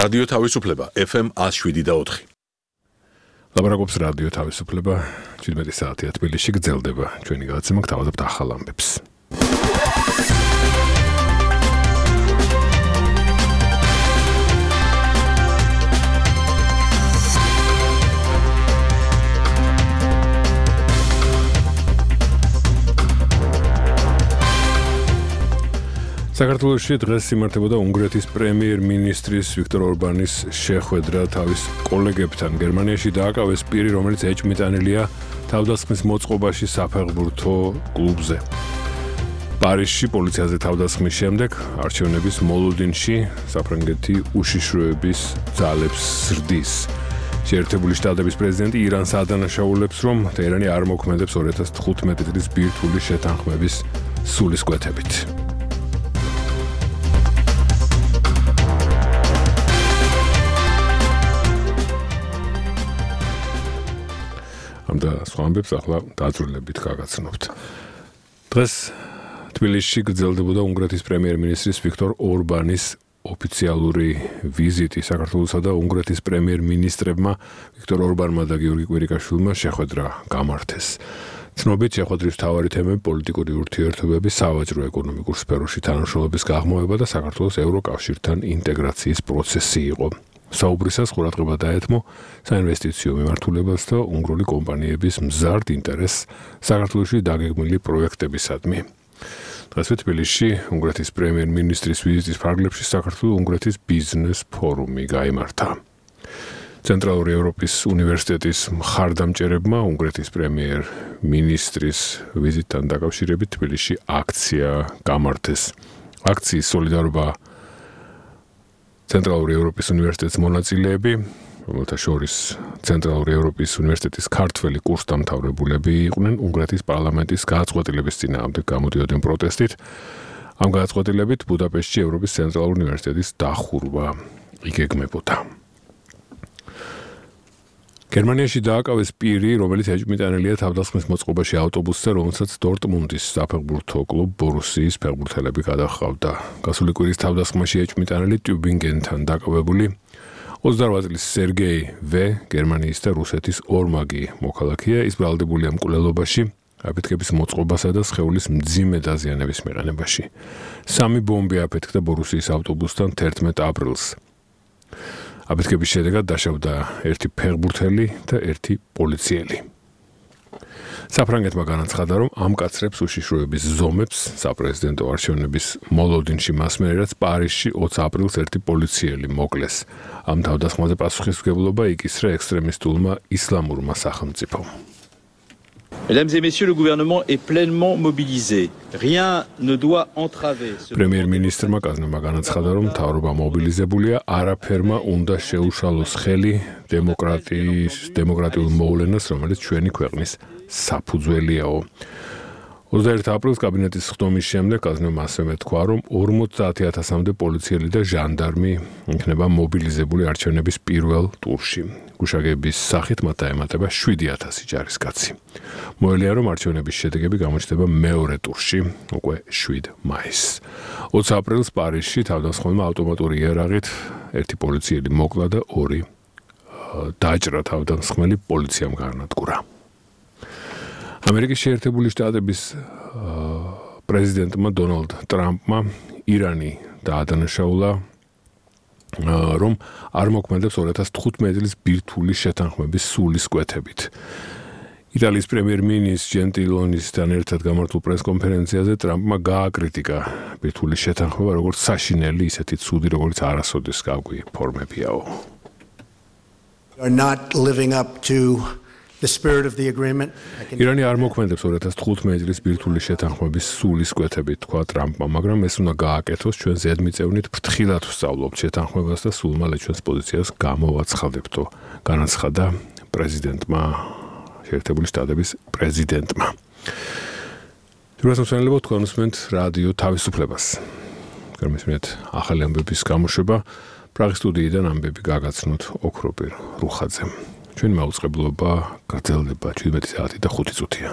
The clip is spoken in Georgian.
რადიო თავისუფლება FM 107.4. ლაპარაკობს რადიო თავისუფლება 17 საათია თბილისში გრძელდება ჩვენი გადაცემა გთავაზობთ ახალ ამბებს. საქართველოში დღეს იმართებოდა უნგრეთის პრემიერ-მინისტრის ვიქტორ ორბანის შეხვედრა თავის კოლეგებთან. გერმანიაში დააკავეს პირი, რომელიც ეჭვმიტანილია თავდასხმის მოწყობაში საფეხბურთო კლუბზე. პარიზში პოლიციაზე თავდასხმის შემდეგ არჩევნების მოლოდინში საფრანგეთი უშიშროების ძალებს ზრდის. შეერთებული შტატების პრეზიდენტი ირანს ადანაშაულებს, რომ ტეჰრანი არ მოქმედებს 2015 წლის ბირთვული შეთანხმების სულისკვეთებით. და სხვა ამბებს ახლა დაძრულებით გაგაცნობთ. დღეს თბილისში გრძელდებოდა უნგრეთის პრემიერ-მინისტრის ვიქტორ ორბანის ოფიციალური ვიზიტი. საქართველოსა და უნგრეთის პრემიერ-მინისტრებმა ვიქტორ ორბანმა და გიორგი კვირიკაშვილმა შეხვედრა გამართეს. ცნობით შეხვედრის მთავარი თემები პოლიტიკური ურთიერთობები, სავაჭრო-ეკონომიკურ სფეროში თანამშრომლობის გაღრმავება და საქართველოს ევროკავშირთან ინტეგრაციის პროცესი იყო. საუბრისას ყურადღება დაეთმო საინვესტიციო მიმართულებას და უნგრული კომპანიების მზარდ ინტერესს საქართველოში დაგეგმილი პროექტებისადმი. დღეს თბილისში უნგრეთის პრემიერ-მინისტრის ვიზიტის ფარგლებში საქართველო-უნგრეთის ბიზნეს ფორუმი გაიმართა. ცენტრალური ევროპის უნივერსიტეტის მხარდამჭერებმა უნგრეთის პრემიერ-მინისტრის ვიზიტთან დაკავშირებით თბილისში აქცია გამართეს. აქციის სოლიდარობა ცენტრალური ევროპის უნივერსიტეტის მონაწილეები, რომელთა შორის ცენტრალური ევროპის უნივერსიტეტის ქართველი კურსდამთავრებულები იყვნენ, უნგრეთის პარლამენტის გადაწყვეტილების წინააღმდეგ გამოდიოდნენ პროტესტით. ამ გადაწყვეტილებით ბუდაპეშტში ევროპის ცენტრალური უნივერსიტეტის დახურვა იგეგმებოდა. გერმანიაში დააკავეს პირი, რომელიც ეჭვმიტანილია თავდასხმის მოწყობაში ავტობუსზე, რომელსაც დორტმუნდის საფეხბურთო კლუბ ბორუსიის ფეხბურთელები გადაჰყავდა. გასული კვირის თავდასხმაში ეჭვმიტანილი ტიუბინგენთან დაკავებული 28 წლის სერგეი ვე, გერმანიის და რუსეთის ორმაგი მოქალაქეა, ის ბრალდებულია მკვლელობაში, აფეთქების მოწყობასა და სხეულის მძიმე დაზიანების მიყენებაში. 3 ბომბი აფეთქდა ბორუსიის ავტობუსთან 11 აპრილს. აფეთქების შედეგად დაშავდა 1 ფეხბურთელი და 1 პოლიციელი. საფრანგეთმა განაცხადა, რომ ამკაცრებს უშიშროების ზომებს საპრეზიდენტო არჩევნების მოლოდინში მასმერერაც პარიზში 20 აპრილს 1 პოლიციელი მოკლეს. ამ თავდასხმაზე პასუხისმგებლობა იკისრა ექსტრემისტულმა ისლამურმა სახელმწიფომ. Mesdames et messieurs, le gouvernement est pleinement mobilisé. Rien ne doit entraver. პრემიერ-მინისტრმა კაზნებმა განაცხადა, რომ მთავრობა მობილიზებულია, არაფერმა უნდა შეუშალოს ხელი დემოკრატიულ მოვლენას, რომელიც ჩვენი ქვეყნის საფუძველიაო. 21 აპრილს კაბინეტის ხდომის შემდეგ კაზნებმა ასევე მეთქვა, რომ 50,000-მდე პოლიციელი და ჟანდარმი იქნება მობილიზებული არჩევნების პირველ ტურში. გუშაგების სახით მათ დაემატება 7,000 ჯარისკაცი. მოელია, რომ არჩევნების შედეგები გამოჩნდება მეორე ტურში, უკვე 7 მაისს. 20 აპრილს პარიზში თავდასხმელმა ავტომატური იარაღით 1 პოლიციელი მოკლა და 2 დაჭრა თავდასხმელი პოლიციამ გაანადგურა. ამერიკის შეერთებული შტატების პრეზიდენტმა დონალდ ტრამპმა ირანი დაადანაშაულა, რომ არ მოქმედებს 2015 წლის ბირთვული შეთანხმების სულისკვეთებით. იტალიის პრემიერ-მინისტრის ჯენტილონისთან ერთად გამართულ პრესკონფერენციაზე ტრამპმა გააკრიტიკა ბირთვული შეთანხმება როგორც საშინელი, ისეთი ცუდი, როგორც არასოდეს გავკვი ფორმებიაო. Are not living up to the spirit of the agreement. ირანი არ მოქმედებს 2015 წლის ბირთვული შეთანხმების სულისკვეთებით, თქვა ტრამპმა, მაგრამ ეს უნდა გააკეთოს, ჩვენ ზედმიწევნით ფრთხილად ვსწავლობთ შეთანხმებას და სულ მალე ჩვენს პოზიციას გამოვაცხადებთო, განაცხადა პრეზიდენტმა, შეერთებული შტატების პრეზიდენტმა. ჯერმასმსვენელებო, თქვენ უსმენთ რადიო თავისუფლებას. გარმისმენთ ახალი ამბების გამოშვება, პრაღის სტუდიიდან ამბები გაგაცნოთ ოქროპირ რუხაძემ. ჩვენი მაუწყებლობა გრძელდება 17 საათი და 5 წუთია.